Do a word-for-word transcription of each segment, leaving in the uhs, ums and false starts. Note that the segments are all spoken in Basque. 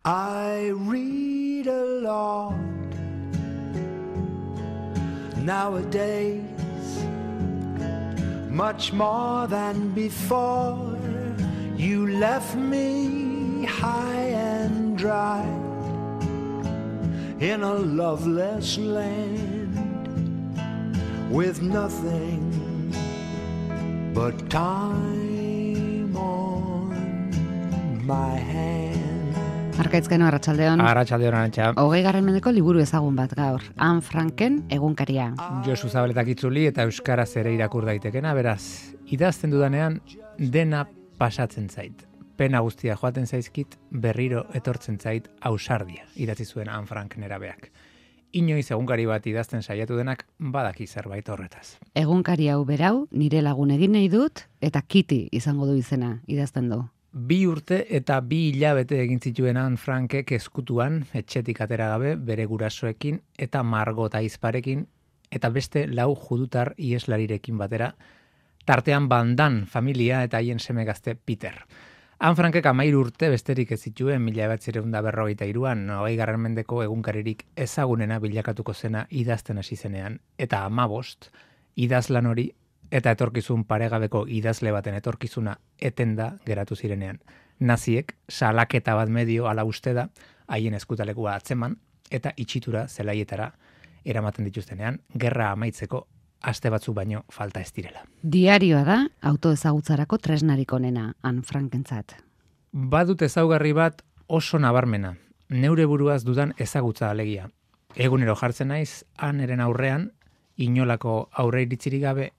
I read a lot nowadays, much more than before. You left me high and dry in a loveless land with nothing but time on my hand. Arkaitzkeno, arratsaldeon. Arratsaldeon, Arantxa. Hogei garren mendeko liburu ezagun bat gaur. Anne Franken egunkaria. Josu Zabaletak itzuli eta euskaraz ere irakur daitekena, beraz, idazten dudanean dena pasatzen zait. Pena guztia joaten zaizkit, berriro etortzen zait ausardia, idatzi zuen Anne Frank nerabeak. Inoiz egunkari bat idazten saiatu denak badaki zerbait horretaz. Egunkari hau berau, nire lagun egin nahi dut, eta Kitty izango du izena, idazten du. Bi urte eta bi hilabete egin zituen Anne Frankek eskutuan, etxetik atera gabe, bere gurasoekin eta Margot aizparekin, eta beste lau judutar ieslarirekin batera, tartean Bandan familia eta haien seme gazte Peter. Anne Frankek amairu urte besterik ez zituen mila bederatziehun eta berrogeita hiruan, hogei garren mendeko egunkaririk ezagunena bilakatuko zena idazten hasi zenean, eta hamabost idazlan hori eta etorkizun paregabeko idazle baten etorkizuna etenda geratu zirenean. Naziek salaketa bat medio ala uste da haien eskutalekua atzeman eta itxitura zelaietara eramaten dituztenean, gerra amaitzeko aste batzu baino falta ez direla. Diarioa da autoezagutzarako tresnarik onena Anne Frankentzat. Badut ezaugarri bat oso nabarmena, neure buruaz dudan ezagutza alegia. Egunero jartzen naiz Anneren aurrean, inolako aurre iritzirik gabe,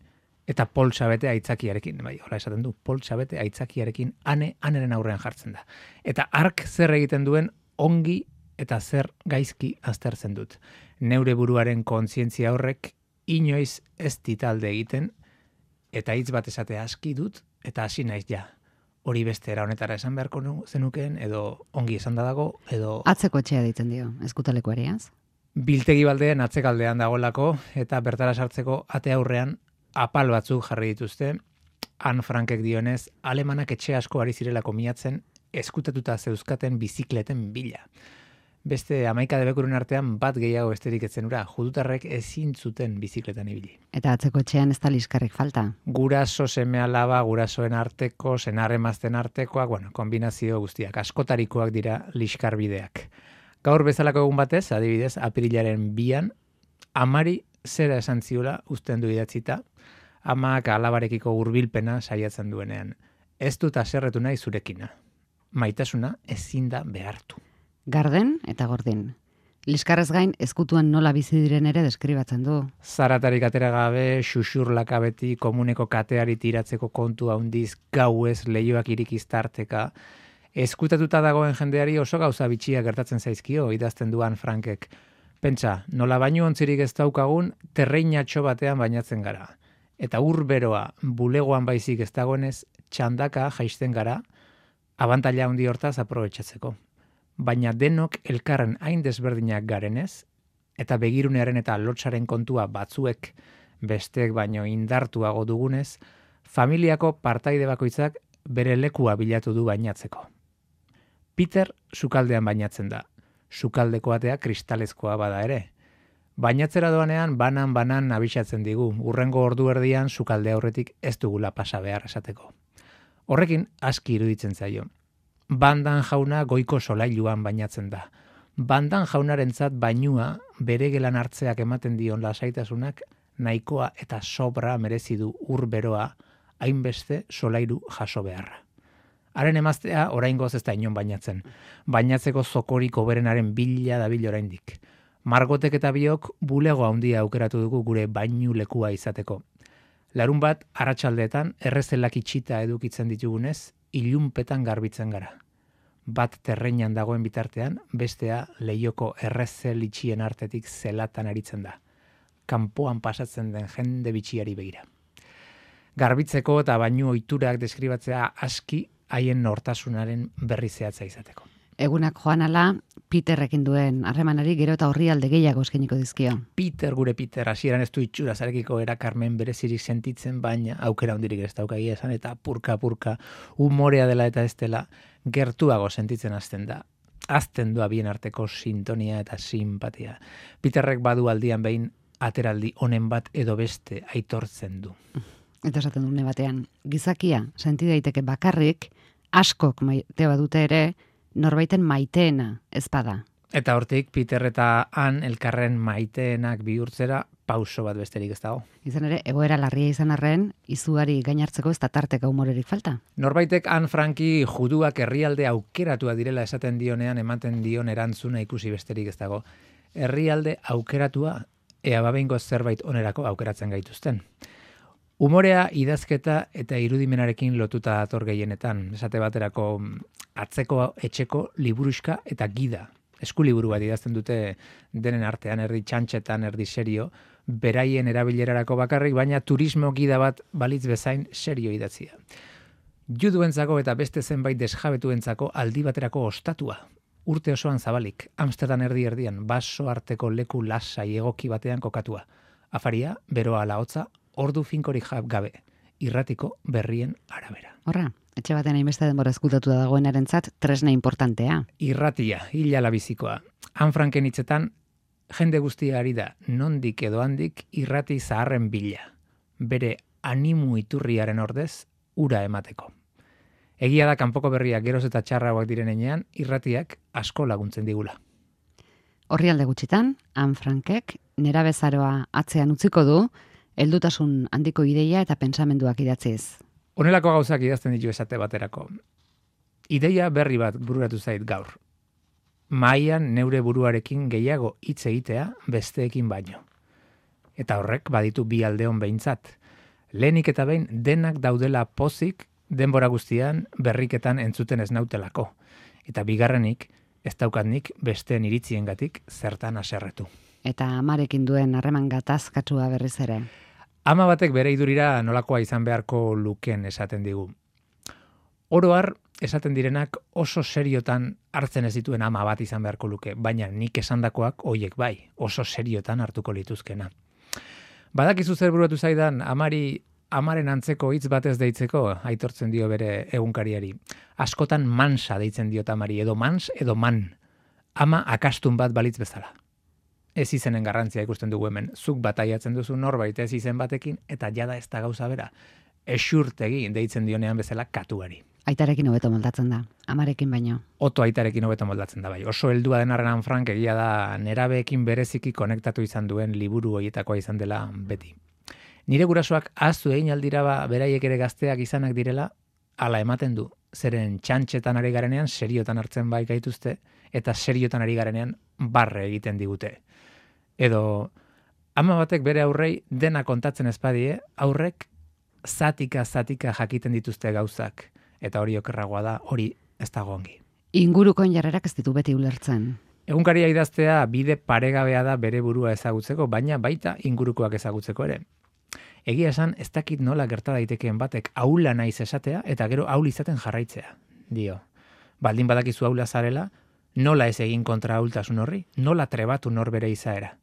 eta poltsa bete aitzakiarekin, bai, hola esaten du, poltsa bete aitzakiarekin ane, aneren aurrean jartzen da. Eta ark zer egiten duen ongi eta zer gaizki aztertzen dut. Neure buruaren kontzientzia horrek inoiz ez ditalde egiten, eta hitz bat esate aski dut, eta hasi naiz ja. Hori beste era honetara esan beharko zenukeen, edo ongi esan da dago, edo... Atzeko etxea ditzen dio, eskutalekuariaz? Biltegi baldean atzekaldean dagolako, eta bertara sartzeko ate aurrean apal batzuk jarri dituzte, Anne Frankek dionez, alemanak etxe asko ari zirelako miatzen, eskutatuta zeuzkaten bizikleten bila. Beste hamaika debekuren artean bat gehiago besterik etzen ura, judutarrek ezin zuten bizikletan ibili. Eta atzeko etxean ez da liskarrik falta. Guraso seme alaba, gurasoen arteko, senarremazten artekoak, bueno, kombinazio guztiak, askotarikoak dira liskarbideak. Gaur bezalako egun batez, adibidez, apirilaren bian, amari zera esan ziola uzten du idatzita, amak alabarekiko hurbilpena saiatzen duenean. Ez dut haserretu nahi zurekina. Maitasuna ezin da behartu. Garden eta gordin. Liskarrez gain, eskutuan nola bizi diren ere deskribatzen du. Zaratarik atera gabe, xuxurlaka beti, komuneko kateari tiratzeko kontu handiz, gauez, lehioak irikiztarteka. Eskutatuta dagoen jendeari oso gauza bitxia gertatzen zaizkio, idazten duan Frankek. Pentsa, nola bainu ontzirik ez daukagun, terreinatxo batean bainatzen gara. Eta ur beroa, bulegoan baizik ez dagoenez, txandaka jaisten gara, abantaila handi hortaz aprobetxatzeko. Baina denok elkarren hain desberdinak garenez, eta begirunearen eta lotsaren kontua batzuek besteek baino indartuago dugunez, familiako partaide bakoitzak bere lekua bilatu du bainatzeko. Peter sukaldean bainatzen da. Sukaldeko atea kristalezkoa bada ere. Bainatzera doanean banan-banan abisatzen digu, urrengo ordu erdian sukalde aurretik ez dugula pasa behar esateko. Horrekin aski iruditzen zaio. Bandan jauna goiko solailuan bainatzen da. Bandan jaunarentzat bainua bere gelan hartzeak ematen dion lasaitasunak nahikoa eta sobra merezi du ur beroa hainbeste solairu jaso beharra. Haren emaztea oraingoz ez da inon bainatzen. Bainatzeko zokorik hoberenaren bila dabil oraindik. Margotek eta biok bulego handia aukeratu dugu gure bainu lekua izateko. Larun bat, arratsaldeetan errezelak itxita edukitzen ditugunez, ilunpetan garbitzen gara. Bat terreinan dagoen bitartean, bestea lehioko errezel itxien artetik zelatan aritzen da. Kanpoan pasatzen den jende bitxiari begira. Garbitzeko eta bainu ohiturak deskribatzea aski haien nortasunaren berri zehatza izateko. Egunak joan ala, Peterrekin duen harremanari gero eta orrialde gehiago eskeniko dizkio. Peter, gure Peter, hasieran ez du itxura zarekiko erakarmen berezirik sentitzen, baina aukera hondirik ez daukagia esan, eta purka-purka umorea dela eta ez dela gertuago sentitzen hasten da. azten du bien arteko sintonia eta simpatia. Peterrek badu aldian behin ateraldi honen bat edo beste aitortzen du. Eta esaten dune batean, gizakia senti daiteke bakarrik, askok maite badute ere, norbaiten maiteena ezpada. Eta hortik, Peter eta Han elkarren maiteenak bihurtzera pauso bat besterik ez dago. Izan ere, egoera larria izan arren, izuari gainartzeko ez da tarteka humorerik falta. Norbaitek Han Franki juduak herrialde aukeratua direla esaten dionean ematen dion erantzuna ikusi besterik ez dago. Herrialde aukeratua, ea babehingo zerbait onerako aukeratzen gaituzten. Umorea, idazketa eta irudimenarekin lotuta dator gehienetan. Esate baterako atzeko, etxeko, liburuska eta gida. Eskuliburu bat idazten dute denen artean, erdi txantxetan, erdi serio, beraien erabilerarako bakarrik, baina turismo gida bat balitz bezain serio idatzia. Juduentzako eta beste zenbait desjabetuentzako aldi baterako ostatua. Urte osoan zabalik, Amsterdam erdi erdian, baso arteko leku lasai egoki batean kokatua. Afaria, beroa lahotza, ordu finkorik gabe, irratiko berrien arabera. Horra, etxe batean hainbeste denbora ezkutatu da dagoenarentzat tresna importantea. Irratia, hilala bizikoa. Han Franken hitzetan, jende guztia ari da, nondik edo handik irrati zaharren bila. Bere animu iturriaren ordez, ura emateko. Egia da kanpoko berriak geroz eta txarragoak diren enean, irratiak asko laguntzen digula. Orrialde gutxitan, Han Frankek nerabezaroa atzean utziko du, heldutasun handiko ideia eta pentsamenduak idatziz. Honelako gauzak idazten ditu esate baterako. Ideia berri bat bururatu zait gaur. Mahaian neure buruarekin gehiago hitz egitea besteekin baino. Eta horrek baditu bi aldeon behintzat. Lehenik eta behin denak daudela pozik denbora guztian berriketan entzuten ez nautelako. Eta bigarrenik ez daukatnik besteen iritziengatik zertan haserretu. Eta amarekin duen harreman gatazkatsua berriz ere. Ama batek bere idurira nolakoa izan beharko luken esaten digu. Oro har, esaten direnak oso seriotan hartzen ez dituen ama bat izan beharko luke, baina nik esandakoak hoiek bai, oso seriotan hartuko lituzkena. Badakizu zer buruatu zaidan, amari amaren antzeko hitz batez deitzeko, aitortzen dio bere egunkariari. Askotan mansa deitzen diot amari, edo mans, edo man. Ama akastun bat balitz bezala. Ez izenen garrantzia ikusten dugu hemen. Zuk bataiatzen duzu norbait ez izen batekin, eta jada ez da gauza bera. Esurtegi deitzen dionean bezala katuari. Aitarekin hobeto moldatzen da, amarekin baino. Oto aitarekin hobeto moldatzen da bai. Oso heldua den arren Han Frank egia da nerabeekin bereziki konektatu izan duen liburu horietakoa izan dela beti. Nire gurasoak ahaztu egin aldira ba, beraiek ere gazteak izanak direla, hala ematen du. Zeren txantxetan ari garenean seriotan hartzen bai gaituzte, eta seriotan ari garenean barre egiten digute. Edo, ama batek bere aurrei dena kontatzen ezpadie, aurrek zatika-zatika jakiten dituzte gauzak. Eta hori okerragoa da, hori ez dago ongi. Ingurukoen jarrerak ez ditu beti ulertzen. Egunkaria idaztea bide paregabea da bere burua ezagutzeko, baina baita ingurukoak ezagutzeko ere. Egia esan, ez dakit nola gerta daitekeen batek aula naiz esatea, eta gero aul izaten jarraitzea, dio. Baldin badakizu aula zarela, nola ez egin kontra aultasun horri, nola trebatu norbere izaera.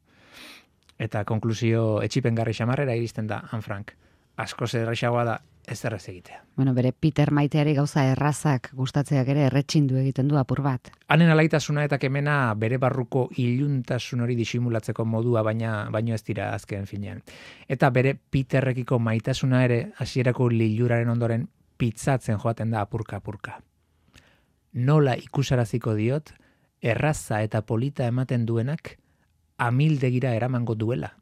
Eta konklusio etxipengarri xamarrera iristen da Han Frank. Asko zerrexagoa da ez errez egitea. Bueno, bere Peter maiteari gauza errazak gustatzeak ere erretxindu egiten du apur bat. Hanen alaitasuna eta kemena bere barruko iluntasun hori disimulatzeko modua, baina baino ez dira azken finean. Eta bere Peterrekiko maitasuna ere hasierako liluraren ondoren pitzatzen joaten da apurka-apurka. Nola ikusaraziko diot, erraza eta polita ematen duenak amildegira eramango duela.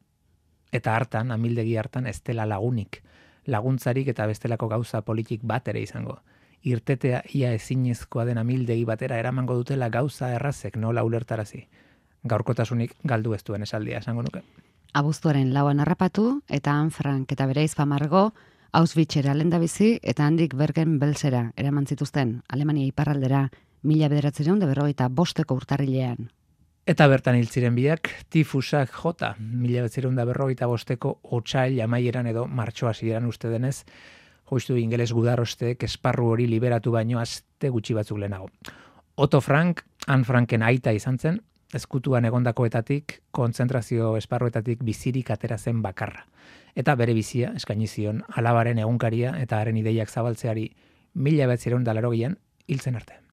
Eta hartan, amildegi hartan ez dela lagunik, laguntzarik eta bestelako gauza politik bat ere izango. Irtetea ia ezinezkoa den amildegi batera eramango dutela gauza errazek nola ulertarazi. Gaurkotasunik galdu ez duen esaldia esango nuke. Abuztuaren lauan harrapatu eta Han Frank eta bere ahizpa Margo Auschwitzera lehendabizi eta handik Bergen-Belsera eraman zituzten Alemania iparraldera mila bederatziehun eta berrogeita bosteko urtarrilean. Eta bertan hil ziren biak, tifusak jota, mila bederatziehun eta berrogeita bosteko otsail amaieran edo martxo hasieran uste denez, joiztu ingeles gudarosteek esparru hori liberatu baino aste gutxi batzuk lehenago. Otto Frank, Han Franken aita izan zen, ezkutuan egondakoetatik, kontzentrazio esparruetatik bizirik atera zen bakarra. Eta bere bizia eskaini zion alabaren egunkaria eta haren ideiak zabaltzeari mila bederatziehun eta laurogeian hiltzen arte.